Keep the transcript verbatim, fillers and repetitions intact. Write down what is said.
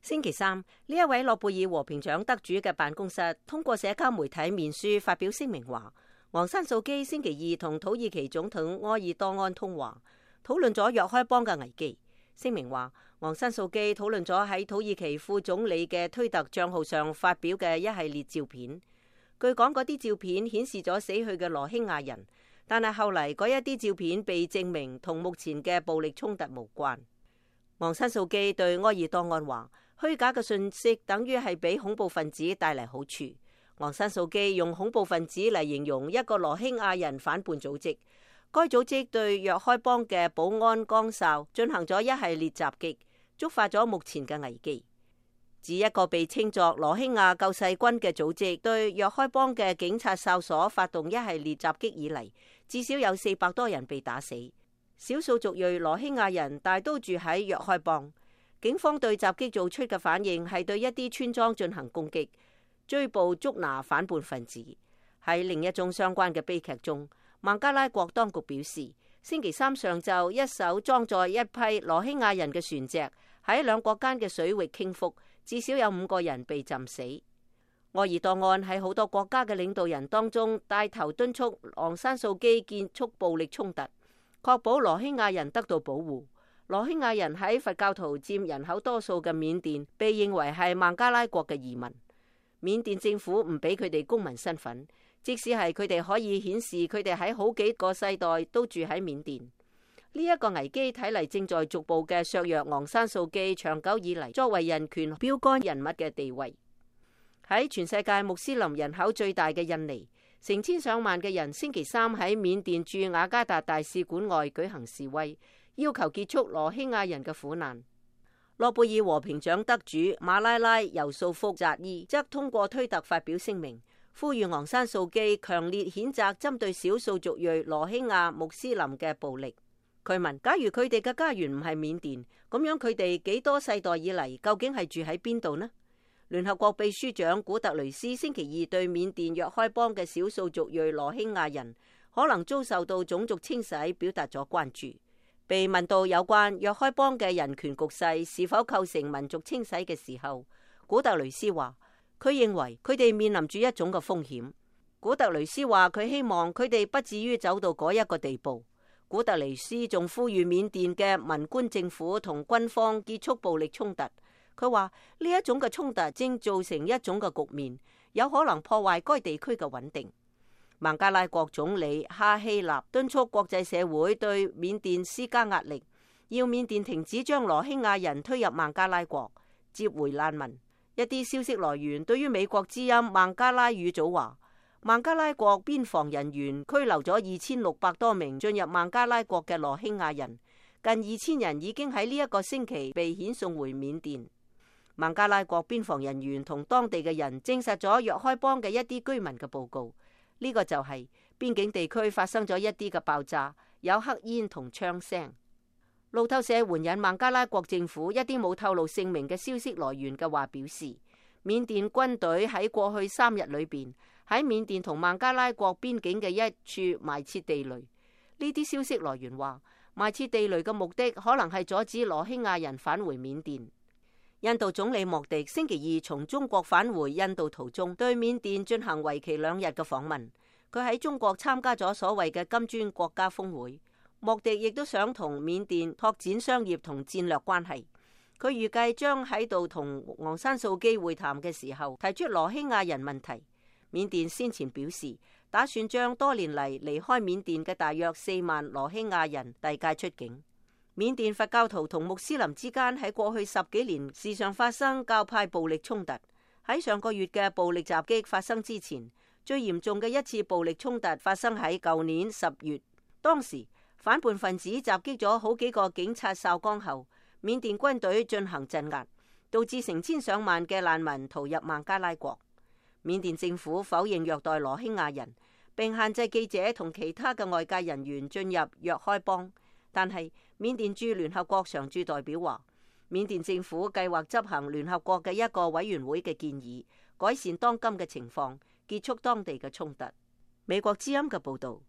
星期三，呢一位諾貝爾和平獎得主嘅辦公室通過社交媒體面書發表聲明話，昂山素基星期二同土耳其總統埃爾多安通話，討論咗若開邦嘅危機。聲明話，昂山素基討論咗喺土耳其副總理嘅推特賬號上發表嘅一系列照片。據講，嗰啲照片顯示咗死去嘅羅興亞人，但係後嚟嗰一啲照片被證明同目前嘅暴力衝突無關。昂山素基對埃爾多安話，虛假嘅信息等於係俾恐怖分子帶嚟好處。昂山素基用恐怖分子嚟形容一個羅興亞人反叛組織，該組織對若開邦嘅保安崗哨進行咗一系列襲擊，觸發咗目前嘅危機。自一個被稱作羅興亞救世軍嘅組織對若開邦嘅警察哨所發動一系列襲擊以嚟，至少有四百多人被打死。少數族裔羅興亞人大都住喺若開邦。警方對襲擊做出嘅反應係對一啲村莊進行攻擊，追捕捉拿反叛分子。喺另一宗相關嘅悲劇中，孟加拉國當局表示，星期三上晝一艘裝載一批羅興亞人嘅船隻喺兩國間嘅水域傾覆，至少有五個人被浸死。埃爾多安喺好多國家嘅領導人當中帶頭敦促昂山素基結束暴力衝突，確保羅興亞人得到保護。羅興亞人喺佛教徒佔人口多數嘅緬甸被認為係孟加拉國嘅移民。緬甸政府唔俾佢哋公民身份，即使係佢哋可以顯示佢哋喺好幾個世代都住喺緬甸。呢一個危機睇嚟正在逐步嘅削弱昂山素基長久以嚟作為人權標杆人物嘅地位。喺全世界穆斯林人口最大嘅印尼，成千上萬嘅人星期三喺緬甸駐雅加達大使館外舉行示威，要求結束羅興亞人嘅苦難。諾貝爾和平獎得主馬拉拉尤素福扎伊則通過推特發表聲明，呼籲昂山素基強烈譴責針對少數族裔羅興亞穆斯林嘅暴力。佢問：假如佢哋嘅家園唔係緬甸，咁樣佢哋幾多世代以嚟究竟係住喺邊度呢？聯合國秘書長古特雷斯星期二對緬甸若開邦嘅少數族裔羅興亞人可能遭受到種族清洗表達咗關注。被問到有關若開邦嘅人權局勢是否構成民族清洗嘅時候，古特雷斯話佢認為佢哋面臨住一種嘅風險。古特雷斯話佢希望佢哋不至於走到嗰一個地步。古特雷斯仲呼籲緬甸嘅文官政府同軍方結束暴力衝突。佢話呢一種嘅衝突正造成一種嘅局面，有可能破壞該地區嘅穩定。孟加拉國總理哈希納敦促國際社會對緬甸施加壓力，要緬甸停止將羅興亞人推入孟加拉國，接回難民。一啲消息來源對於美國之音孟加拉語組話，孟加拉國邊防人員拘留咗二千六百多名進入孟加拉國嘅羅興亞人，近二千人已經喺呢一個星期被遣送回緬甸。孟加拉國邊防人員同當地嘅人證實咗若開邦嘅一啲居民嘅報告，呢、這個就係邊境地區發生咗一啲嘅爆炸，有黑煙同槍聲。路透社援引孟加拉國政府一啲冇透露姓名嘅消息來源嘅話表示，緬甸軍隊喺過去三日裏邊喺緬甸同孟加拉國邊境嘅一處埋設地雷。呢啲消息來源話，埋設地雷嘅目的可能係阻止羅興亞人返回緬甸。印度總理莫迪星期二從中國返回印度途中，對緬甸進行為期兩日嘅訪問。佢喺中國參加咗所謂嘅金磚國家峰會。莫迪亦都想同緬甸拓展商業同戰略關係。佢預計將喺度同昂山素基會談嘅時候提出羅興亞人問題。緬甸先前表示打算將多年嚟離開緬甸嘅大約四萬羅興亞人遞解出境。緬甸佛教徒同穆斯林之間喺過去十幾年時常發生教派暴力衝突。喺上個月嘅暴力襲擊發生之前，最嚴重嘅一次暴力衝突發生喺舊年十月。當時反叛分子襲擊咗好幾個警察哨崗後，緬甸軍隊進行鎮壓，導致成千上萬嘅難民逃入孟加拉國。緬甸政府否認虐待羅興亞人，並限制記者同其他嘅外界人員進入若開邦。但係緬甸駐聯合國常駐代表話，緬甸政府計劃執行聯合國嘅一個委員會嘅建議，改善當今嘅情況，結束當地嘅衝突。美國之音嘅報道。